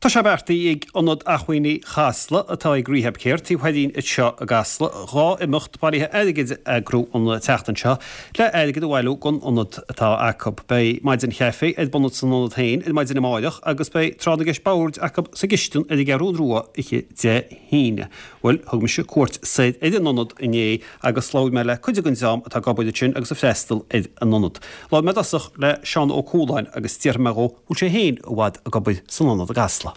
Tá sé beartaithe ag Ionad Acmhainní Chasla, atá ag Rehab Care taobh thoir dínn anseo i gCasla, dá imeacht bailithe airgid a eagrú an tseachtain seo le airgead a bhailiú don ionad atá acu. Beidh maidin chaife ar bun san ionad féin ar maidin amáireach agus beidh tráth na gceist boird acu sa gcistin ar an gCeathrú Rua oíche Dé hAoine. Bhuel, thug mise cuairt soir ar an ionad inné agus labhair mé le cuid den dream atá ag obair ansin agus ag freastal ar an ionad. Labhair mé i dtosach le Seán Ó Cualáin agus d'fhiafraigh mé dhó bhfuil sé féin i bhfad ag obair san ionad i gCasla.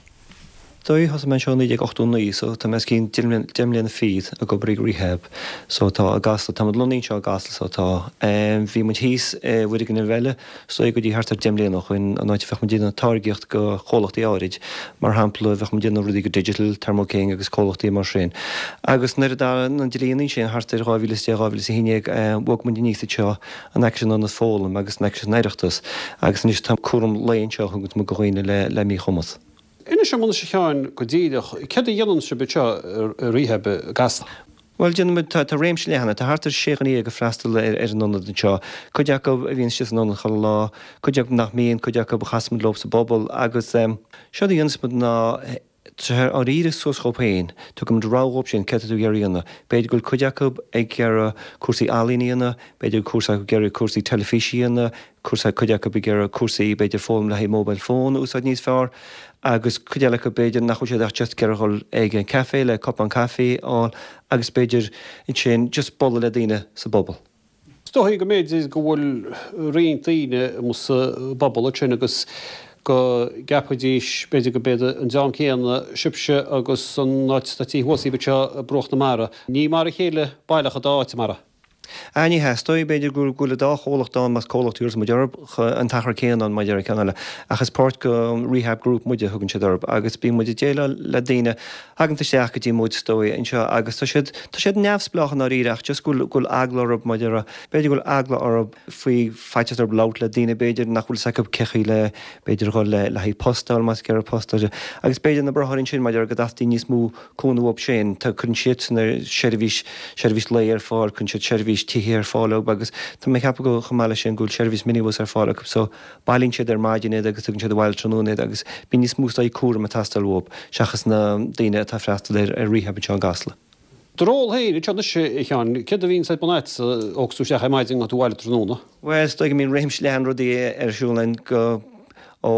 Dóigh, thosaigh mé anseo i 1989 so tá mé os cionn deich mbliana fichead ag obair ag Rehab so tá i gCasla, tá muid lonnaithe anseo i gCasla so tá. Bhí muid thíos i bhfoirgneamh eile is dóigh go dtí thart ar 10 mbliana ó shoin, an áit a bheadh muid ag déanamh táirgíocht go chomhlachtaí áirid, mar shampla bheadh muid ag déanamh rudaí go Digital, Thermo King agus comhlachtaí mar sin. Agus nuair a d'athraigh na dlíonna sin thart ar 2010, 2011, bhog muid aníos anseo in aice leis an Ionad Foghlaim agus in aice leis an Oireachtas agus anois tá cúram lae anseo a thugann muid go dhaoine le míchumas. Inis dom anois a Sheáin go díreach, céard a dhéanann sibh anseo i Rehab i gCasla? Bhuel, déanann muid, tá réimse leathan, tá thart ar sé dhuine ag freastal ar an ionad anseo, cuid acu a bhíonn istigh san ionad chuile lá, cuid acu nach mbíonn, cuid acu a chasann muid leo sa bpobal agus séard a dhéanas muid ná tá ár iarraidh suas dhóibh féin, tugann muid rogha dhóibh sin, céard tá tú ag iarraidh a dhéanamh. B'fhéidir go bhfuil cuid acu ag iarraidh cúrsaí ealaíne a dhéanamh, b'fhéidir go bhfuil cúrsa acu ag iarraidh cúrsaí teilifíse a dhéanamh, cúrsa, cuid acu ag iarraidh cúrsaí, b'fhéidir foghlaim le haghaidh mobile phone a úsáid níos fearr agus cuid eile acu b'fhéidir nach bhfuil siad ach just ag iarraidh dhul ag an café le cupán caife a fháil agus b'fhéidir ansin just bualadh le daoine sa bpobal. Is dóigh go mb'fhéidir go bhfuil roinnt daoine amuigh sa bpobal ansin agus go gceapfaidís b'fhéidir go mb'iad an dream céanna sibhse agus an áit atá thuas daoibh anseo ag bruach na mara. Ní mar a chéile baileach an dá áit, mara. Ah, ní hea. Is dóigh, b'fhéidir, go bhfuil an dá chomhlacht ann, más comhlacht a thabharfas muid orthu, an t-achar céanna ann maidir le ceann eile. Ach is páirt de Rehab Group muide, a thugann siad orthu, agus bíonn muid ag déileáil le daoine a thagann isteach go dtí muid, is dóigh, anseo agus tá siad, tá siad neamhspleách i ndáiríre ach just go bhfuil, go bhfuil eagla orthu maidir le, b'fhéidir go bhfuil eagla orthu faoi faitíos orthu labhairt le daoine, b'fhéidir, nach bhfuil fhios acu cé chaoi le, b'fhéidir dhul le, le haghaidh post a fháil más ag iarraidh post a fháil. Agus b'fhéidir na braitheoirí ansin maidir le go dteastaíonn níos mó cúnamh uathu sin. Tá, cuireann siadsan ar seirbhís, seirbhís lae ar fáil, cuireann siad seirbhís tithe ar fáil dóibh agus tá mé ag ceapadh go, chomh maith leis sin, go bhfuil seirbhís minibus ar fáil acu so bailíonn siad ar maidin iad agus tugann siad abhaile tráthnóna iad agus bíonn níos mó is dóigh cúram ag teastáil uathu seachas na daoine atá ag freastal ar, ar rehab anseo i gCasla. Do ról féin anseo anois, a Sheáin, céard a bhíonns ar bun agat, ó thiocfas tú isteach ar maidin go dtí tú abhaile tráthnóna? Bhuel, is dóigh go mbíonn réimse leathan rudaí ar siúl againn go, ó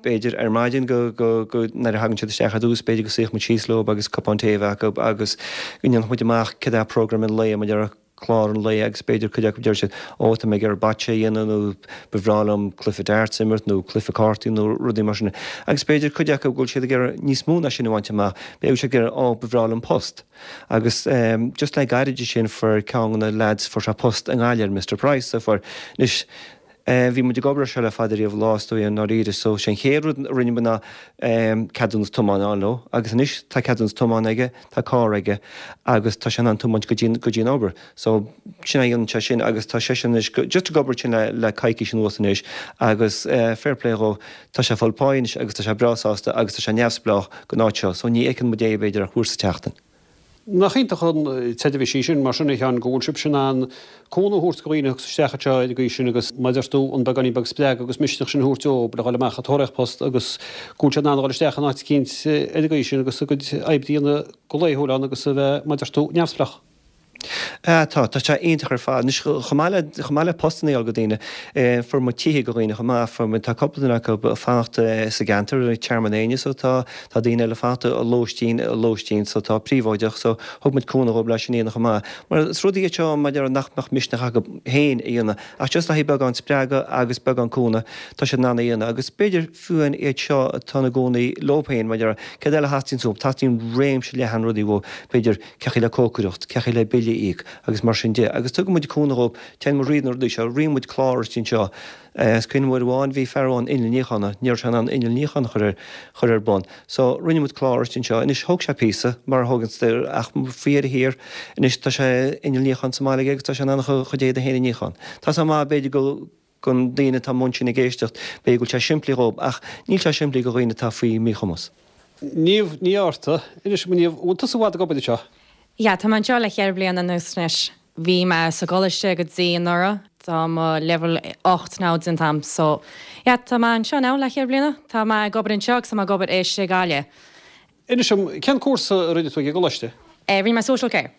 b'fhéidir ar maidin go, go, go nuair a thagann siad isteach ar dtús, b'fhéidir go suífeadh muid síos leo agus cupán tae a bheith acu agus go ndéanfadh muid amach céard é program an lae, muid ar chlár an lae agus b'fhéidir cuid acu deir siad ó tá mé ag iarraidh bocce a dhéanamh nó ba bhreá liom cluiche darts a imirt nó cluiche cártaí nó rudaí mar sin agus b'fhéidir cuid acu go bhfuil siad ag iarraidh níos mó ná sin a bhaint amach, b'fhéidir go bhfuil siad ag iarraidh ó ba bhreá liom post. Agus just le gairid ansin fuair ceann de na lads fuair sé post i nGaillimh ar Mr Price so fuair anois Bhí muid ag obair ar seo le fada riamh lá is dóigh i ndáiríre so sé an chéad rud a rinne muid ná ceadúnas tiomána a fháil dó agus anois tá ceadúnas tiomána aige, tá carr aige agus tá sé in ann tiomáint go dtí go dtí an obair. So sin é a dhéanann sé sin agus tá seisean anois just ag obair ansin le le coicís anuas anois agus fair play dhó tá sé ag fáil páí anois agus tá sé breá sásta agus tá sé neamhspleách gon áit seo so ní fheiceann muid é b'fhéidir ach uair sa tseachtain. Nach iontach an tseirbhís í sin, mar sin, a Sheáin, go bhfuil sibhse in ann cúnamh a thabhairt do dhaoine a thiocfas isteach anseo ar an gcaoi sin agus, mar a deir tú, an beagáinín beag spreagadh agus misneach sin a thabhairt dóibh le dhul amach ag tóraíocht post agus go bhfuil siad in ann a dhul isteach in áit eicínt ar an gcaoi sin agus a gcuid oibre a dhéanamh go laethúil ann agus a bheith, mar a deir tú, neamhspleách. Ah tá, tá sé iontach ar fad. Anois, chomh maith le, chomh maith le postanna a fháil go daoine, fuair muid tithe go dhaoine chomh maith, fuair muid, tá cúpla duine acu ag fanacht sa gceantar, i Tearmann Éinne, so tá, tá daoine eile ag fanacht i lóistín, i lóistín, so tá príobháideach, so thug muid cúnamh dhóibh leis sin a dhéanamh chomh maith. Mar is rudaí iad seo, mar a déarfá, nach mbeadh misneach acu féin a dhéanamh, ach just le haghaidh beagán spreagadh agus beagán cúnamh, tá siad in ann a dhéanamh. Agus b'fhéidir fiú amháin iad seo atá ina gcónaí leo féin, mar a déarfá, céard eile a theastaíonn uathu? Teastaíonn réimse leathan rudaí uathu, b'fhéidir, cé chaoi le cócaireacht, cé chaoi le bille a íoc agus mar sin de. Agus tugann muid cúnamh dhóibh, téann muid thríd na rudaí seo, ritheann muid clár istigh anseo. Is cuimhin liom uair amháin bhí fear amháin inneall níocháin, ní raibh sé in ann inneall níocháin a chur ar, chur ar bun. So rinne muid clár istigh anseo. Anois thóg sé píosa, mar a thógann, ach faoi dheireadh thiar, anois tá sé inneall níocháin sa mbaile aige agus tá sé in ann a chuid éadaí féin a níochán. Tá sé maith b'fhéidir go, gon daoine atá amuigh ansin ag éisteacht, b'fhéidir go bhfuil sé simplí dhóibh, ach níl sé simplí go dhaoine atá faoi mhíchumas. Niamh Ní Fhátharta, Inis dom a Niamh, an bhfuil tusa i bhfad ag obair anseo? Yeah, tá mé anseo le cheithre bliana anuas anois. Bhí mé sa gcoláiste go dtí anuraidh. Tá mo level 8 now déanta a'm so yeah tá mé anseo now le cheithre bliana. Tá mé ag obair anseo agus tá mé ag obair i Gaillimh. Inis dom, cén cúrsa a rinne tú ag an gcoláiste? Rinne mé social care.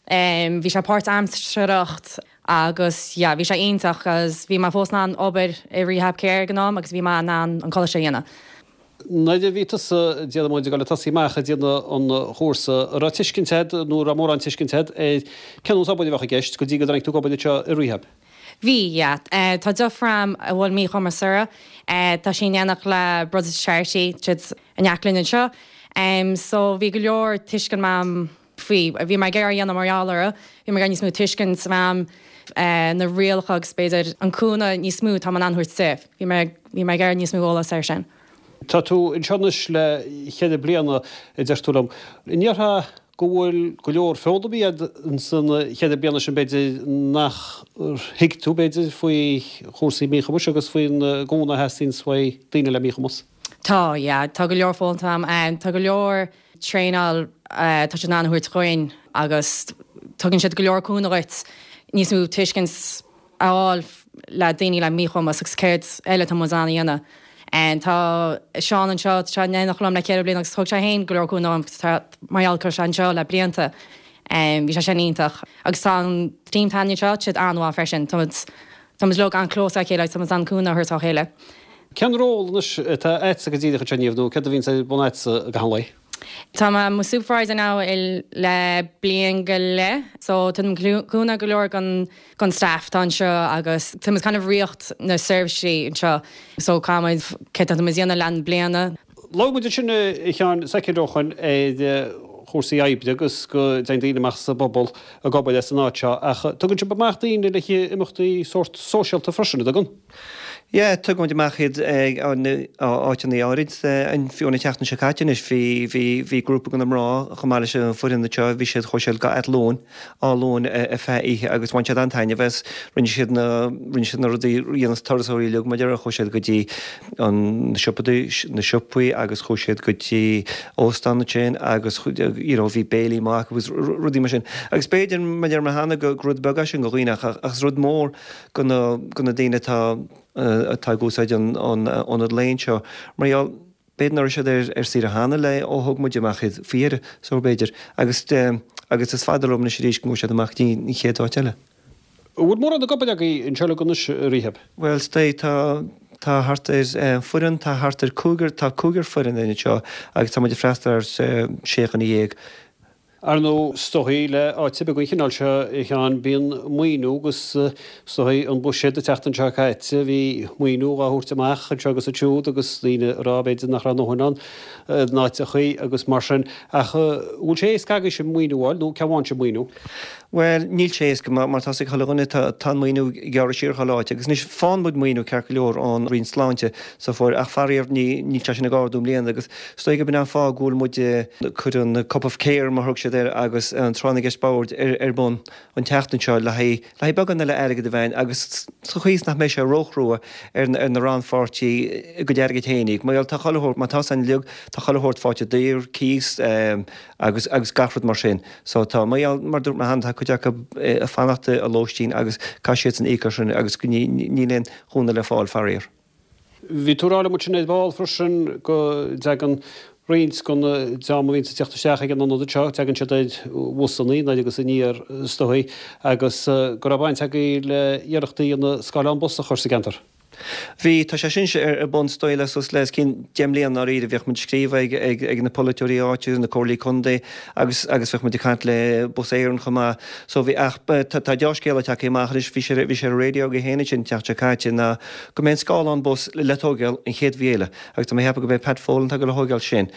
Bhí sé páirtaimseartha agus yeah bhí sé iontach cause bhí mé fós in ann obair i Rehab Care ag an am agus bhí mé in ann an coláiste a dhéanamh. Nuair a bhí tusa, déarfaidh muid, ag dul ag tosaí amach ag déanamh an chúrsa, an raibh tuiscint agat nó an raibh mórán tuiscint agat ar cén nós obair a bheadh i gceist go dtí go dtáinig tú ag obair anseo i Rehab? Bhí, yeah. Tá deirfiúr a'm a bhfuil míchumas uirthi. Tá sí in éineacht le Brothers Charity, siad in aice linn anseo. So bhí go leor tuiscint a'm faoi. Bhí mé ag iarraidh a dhéanamh mar gheall uirthi. Bhí mé ag iarraidh níos mó tuiscint a bheith a'm na rialacha agus b'fhéidir an cúnamh níos mó atá mé in ann a thabhairt di. Bhí mé bhí mé ag iarraidh níos mó eolas air sin. Tá tú anseo anois le cheithre bliana, a deir tú liom. An ndéarfá go bhfuil go leor foghlamtha agat ins an cheithre bliana sin b'fhéidir nach thuig tú b'fhéidir faoi chúrsaí míchumais agus faoin gcúnamh a theastaíonns uaidh daoine le míchumas? Tá, yeah. Tá go leor foghlamtha a'm. Tá go leor traenáil tá siad in ann a thabhairt dhuinn agus tugann siad go leor cúnamh dhuit níos mó tuiscint a fháil le daoine le míchumas agus céard eile atá muid in ann a dhéanamh. Tá Seán anseo, tá sé in éineacht liom le ceithre bliana agus thug sé féin go leor cúnamh dom mar gheall go raibh sé anseo le blianta. Bhí sé sin iontach. Agus tá an team atá againn anseo, tá siad an-mhaith freisin. Tá muid tá muid uilig an-close le chéile agus tá muid in ann cúnamh a thabhairt dá chéile. Cén ról anois atá agatsa go díreach anseo Niamh nó céard a bhíonns ar bun agatsa gach aon lae? Tá mé i mo supervisor now le bliain go leith so tugaim cúnamh go leor don don staff atá anseo agus tá muid kind of rith na seirbhísí anseo so caithfimid céard atá muid a dhéanamh le an bliana. Labhair muid ansin a Sheáin soicind ó shoin ar chúrsaí oibre agus go dtéann daoine amach sa bpobal ag obair as an áit seo ach tugann sibh amach daoine le haghaidh imeachtaí sórt sóisialta freisin, an dtugann? Yeah, tugann muid amach iad ag áiteanna áirid. Fiú an tseachtain seo caite anois bhí, bhí, bhí grúpa de na mná chomh maith leis an foireann anseo, bhí siad, chuaigh siad go Athlone, Áth Luain ar feadh oíche agus bhain siad an-taitneamh as. Rinne siad na, rinne siad na rudaí a dhéanas turasóirí uilig mar a déarfá, chuaigh siad go dtí an, na siopaí, na siopaí agus chuaigh siad go dtí óstán ansin agus you know bhí béilí maith acu agus rudaí mar sin. Agus b'fhéidir, mar a deir mé cheana, gur rud beag é sin do dhaoine ach, ach is rud mór do na, do na daoine atá, atá ag úsáid an, an ionad lae anseo. Mar gheall, b'fhéidir nach raibh siad ar, ar saoire cheana le ó thug muid amach iad faoi dheireadh, so b'fhéidir. Agus, agus is fada romhainn anois arís go ngabhfaidh siad amach go dtí an chéad áit eile. An bhfuil mórán ag obair agaibh anseo uilig anois i Rehab? Bhuel, stay, tá, tá thart ar, foireann, tá thart ar cúigear, tá cúigear foireann againn anseo agus tá muid ag freastal ar sé dhuine dhéag. Ar ndóigh, is dóichí le áit ar bith den chineál seo, a Sheáin, bíonn maoiniú agus is dóichí an buiséad an tseachtain seo caite, bhí maoiniú dhá thabhairt amach anseo agus ansiúd agus daoine ag rá b'fhéidir nach raibh a ndóthain ann in áiteachaí agus mar sin. Ach an bhfuil sé éasca agaibhse maoiniú a fháil nó cé a bhfaigheann sibh maoiniú? Bhuel, níl sé éasca, mar tá 's ag chuile dhuine, tá an maoiniú ag gearradh siar chuile áit. Agus anois, faigheann muid maoiniú ceart go leor ón Roinn Sláinte so fuair, ach faraor ní, níl sé sin ag ardú i mbliana agus is dóigh gurb in an fáth go bhfuil muid ag cur an Cup of Care, mar thug siad air, agus an Tráth na gCeist Boird ar, ar bun an tseachtain seo le haghaidh, le haghaidh beagán eile airgid a bheith ann agus sa chaoi is nach mbeidh sé róchrua ar na, ar na rannpháirtí a gcuid airgid féin a íoc. Mar gheall, tá chuile shórt, mar tá 's againn uilig, tá chuile shórt faighte daor, cíos, agus, agus gach rud mar sin. So tá, mar gheall, mar dúirt mé cheana, tá cuid acu ag fanacht i lóistín agus caithfidh siadsan íoc as sin agus níl aon chúnamh le fáil, faraor. Bhí tú ag rá liom ansin ar ball freisin go dtagann roinnt den dream a bhíonns ag teacht isteach ag an ionad anseo, tagann siad ar bhusannaí anoir agus aniar is dóichí agus go raibh baint agaibh le iarrachtaí a dhéanamh scáileán bus a chur sa gceantar. Bhí, tá sé sin ar bun is dóigh le suas le os cionn 10 mbliana ndáiríre. Bhíodh muid ag scríobh ag, ag, ag na polaiteoirí áitiúil, na comhairlí contae agus, agus bhíodh muid ag caint le Bus Éireann chomh maith. So bhí, ach tá, tá deá-scéala tagtha amach anois, bhí sé, bhí sé ar an raidió agaibh féin ansin an tseachtain seo caite ná go mbeidh an scáileán bus le tógáil an chéad mhí eile agus tá mé ag ceapadh go mbeidh Pat Folan atá ag dul a thógáil sin.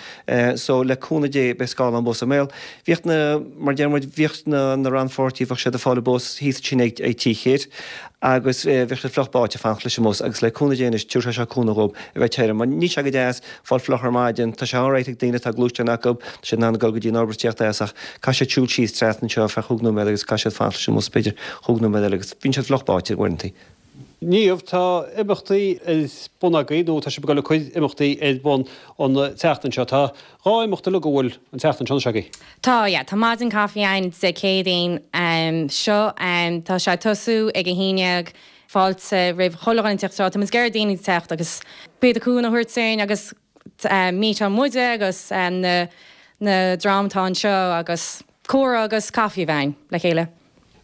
So le cúnamh Dé beidh scáileán bus i mbaol. Bhíodh na, mar a deir muid, bhíodh na, na rannpháirtithe, bheadh siad ag fáil an bus thíos ansin ag, ag Tí Chit agus bheadh siad fliuch báite ag fanacht leis an mbus agus le cúnamh Dé anois tabharfaidh sé seo cúnamh dhóibh a bheith tirim mar níl sé go deas fáil fliuch ar maidin, tá sé alright ag daoine atá gluaisteán acu, tá siad in ann dul go dtí an obair is tíocht as ach caithfidh siad siúl síos trasna anseo ar feadh chúig nóiméad agus caithfidh siad fanacht leis an mbus b'fhéidir chúig nóiméad eile agus bíonn siad fliuch báite uaireanta. Niamh, tá imeachtaí ar bun agaibh nó tá sibh ag dul ag cur imeachtaí ar bun an tseachtain seo. Tá dhá imeacht uilig a bhfuil an tseachtain seo anois agaibh. Tá, yeah. Tá maidin caife ann Dé Céadaoin seo. Tá sé ag tosú ag a haon dhéag. Fáilte roimh chuile dhuine teacht anseo. Tá muid ag iarraidh daoine teacht agus b'fhéidir cúnamh a thabhairt dúinn agus meetáil muide agus na na dream atá anseo agus comhrá agus caife a bheith againn le chéile.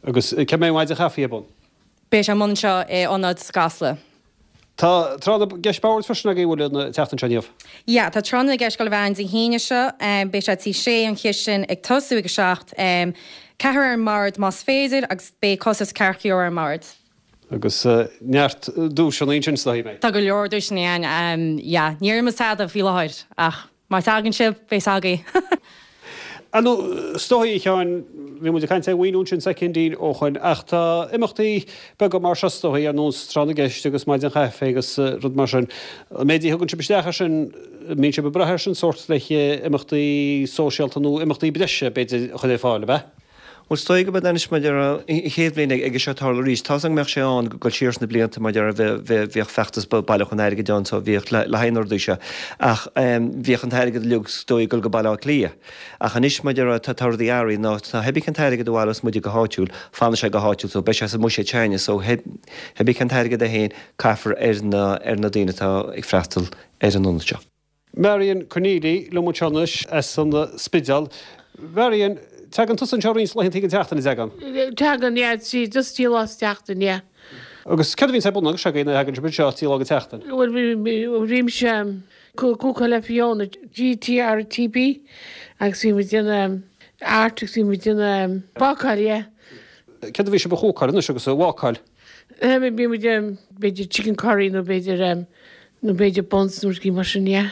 Agus cá mbeidh an mhaidin chaife ar bun? Beidh sé ar bun anseo i Ionad i gCasla. Tá tráth na gceist boird freisin agaibh an bhfuil an tseachtain seo Niamh? Yeah, tá tráth na gceist ag dul a bheith ann Dé hAoine seo. Beidh sé Tigh Sé an Chistin ag tosú ag a 7. Ceathrar ar an mbord más féidir agus beidh costas ceathracha euro ar an mbord. Agus neart duaiseanna ansin is dóigh, an mbeidh? Tá go leor duaiseanna ann, yeah. Níor ith muid tada faoi láthair ach Má tagann sibh, beidh a fhios agaibh. Ar ndóigh, is dóigh, a Sheáin, bhí muid ag caint ar mhaoiniú ansin soicindín ó shoin, ach tá imeachtaí beaga mar seo is dóigh, ar nós Tráth na gCeist agus Maidin Chaife agus rud mar sin. An méid a thugann sibh isteach air sin, an mbíonn sibh ag brath air sin sórt le imeachtaí sóisialta nó imeachtaí breise, b'fhéidir, a chur ar fáil, ab ea? Bhuel, is dóigh go mbeidh anois mar a déarfá, an chéad bhliain ag seo tarlú arís. Tá's agam go mbeadh sé ann ag dul siar sna blianta mar a déarfá bhíodh feachtas bailiúchán airgid ann so bhíodh le haghaidh na rudaí seo ach bhíodh an t-airgead uilig is dóigh ag dul go Baile Átha Cliath. Ach anois mar a déarfá tá rudaí athraithe ná tá cibé cén t-airgead a bhaileos muide go háitiúil, fanfaidh sé go háitiúil so beidh sé sa mbuiséad s'againne so cibé cén t-airgead é féin caithfear ar na ar na daoine atá ag freastal ar an ionad seo. Marion Conneely liom anseo anois as an Spidéal. Marion, tagann tusa anseo roinnt laethanta den tseachtain, an dtagann? Tagann, yeah, just trí lá sa tseachtain, yeah. Agus céard a bhíonns ar bun agaibhse nuair a thagann sibh anseo trí lá den tseachtain? Bhuel, bhímse ag cúcáil le Fiona, GTRTB, agus bhí muid ag déanamh art agus bhí muid ag déanamh bácáil, yeah. Céard a bhí sibh a chúcáil anois agus a bhácáil? Bhí muid b'fhéidir chicken curry nó b'fhéidir nó b'fhéidir buns nó rudaí mar sin, yeah.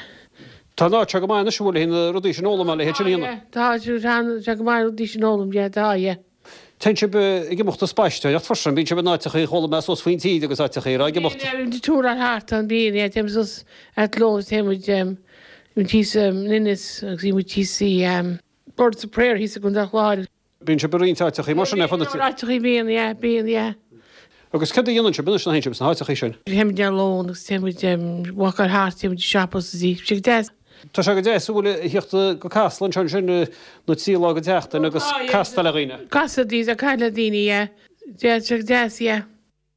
Tá an áit seo go maith anois an bhfuil le haghaidh na rudaí sin a fhoghlaim a leithéid sin a dhéanamh? Tá, tá sé go maith na rudaí sin a fhoghlaim, yeah, tá, yeah. Téann sibh ag imeacht ag spaisteoireacht freisin, bíonn sibh in áiteachaí chuala mé suas faoin tír agus áiteachaí ar ag imeacht. Bíonn, yeah, bíonn muid ag túráil thart ann, bíonn, yeah, téann muid suas Athlone, téann muid, bíonn muid thíos in Ennis agus bíonn muid thíos i Birds of Prayer thíos i gContae an Chláir. Bíonn sibh i roinnt áiteachaí mar sin ar fud na tíre. Áiteachaí bíonn, yeah, bíonn, yeah. Agus céard a dhéanann sibh anois nuair a théann sibh sna háiteachaí sin? Téann muid ar lón agus téann muid walkáil thart, téann muid ag siopa is tá sé go deas. Tá sé go deas an bhfuil a thíocht go Casla anseo ansin na trí lá den tseachtain agus castáil le dhaoine. Castáil le daoine, caint le daoine, yeah. Yeah, tá sé go deas, yeah.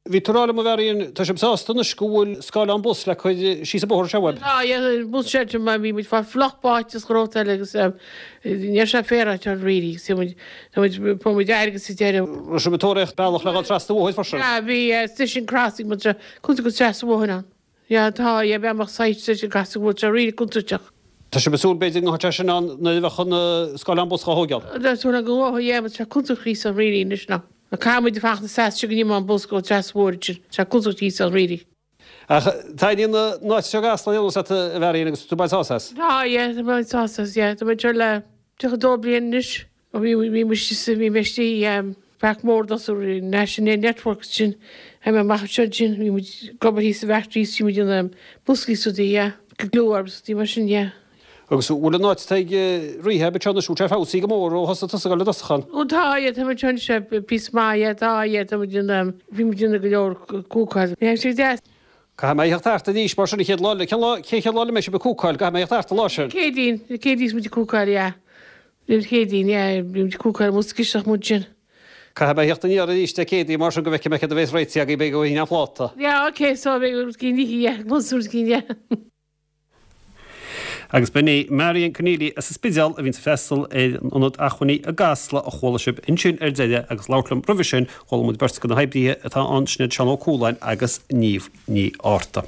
Bhí tú ag rá liom a Mharion, tá sibh sásta anois go bhfuil scáileán bus le cur síos an bóthar seo uaibh? Tá, yeah, bus shelter mar bhí muid fá fliuch báite is gróta eile agus ní raibh sé féaráilte really agus tá muid, tá muid, fuair muid airgead sa deireadh. Raibh sibh ag tóraíocht bealach le dhul trasna an bhóthair freisin? Yeah, bhí station crossing muid cúnta go trasna an bhóthair ann. Yeah, tá, yeah, bealach site station crossing bhfuil sé really contúirteach. Tá sibh ag súil b'fhéidir go mbeadh sé sin ann nuair a bheadh an scáileán bus dhá thóigeáil? Tá súil agam go ngabhfaidh, yeah, but tá sé contúirteach thíos ann really anois ná. Caithfidh muid fanacht seasta go n-imeoidh an bus go trasna an bhóthair ansin. Tá contúirteach thíos ann really. Ach taitníonn an áit seo i gCasla ar aon nós leat a Mharion agus tú ag baint sásamh as? Tá, yeah, tá mé ag baint sásamh as, yeah. Tá mé anseo le 32 bliain anois. Ó bhí, bhí muid istigh, bhí mé istigh i Páirc Mór d'oscail National Network ansin, tháinig mé amach anseo ansin, bhí muid ag obair thíos sa bhfactory, bhí muid ag déanamh boscaí is rudaí, yeah, glue agus rudaí mar sin, yeah. Agus an bhfuil an áit atá ag Rehab anseo anois, bhfuil sé feabhsaithe go mór ó thosaigh tusa ag dul i dtosach ann? Ó tá, yeah, tá muid anseo anois píosa maith, yeah, tá, yeah, tá muid ag déanamh, bhí muid ag déanamh go leor cúcáil, yeah, sé deas. Caithfidh mé a theacht thart arís mar sin an chéad lá eile, cén lá, cén chéad lá eile a mbeidh sibh ag cúcáil, caithfidh mé a theacht thart an lá sin. Céadaoin, Céadaoin is muid ag cúcáil, yeah. Dé Céadaoin, yeah, bhí muid ag cúcáil amuigh sa gcisteach muid sin. Caithfidh mé a theacht aniar arís Dé Céadaoin mar sin go bhfeicfidh mé céard a bhéas réitithe agaibh, beidh go an phláta. Yeah, ok, so beidh rud cinn, yeah, rud cinn, yeah. Agus b'in í Marion Conneely as an Spidéal a bhíonns ag freastal ar an Ionad Acmhainní i gCasla a chuala sibh ansin ar deireadh agus labhairt liom roimhe sin chuala muid beirt de na hoibrithe atá ann, sin iad Seán Ó Cualáin agus Niamh Ní Fhátharta.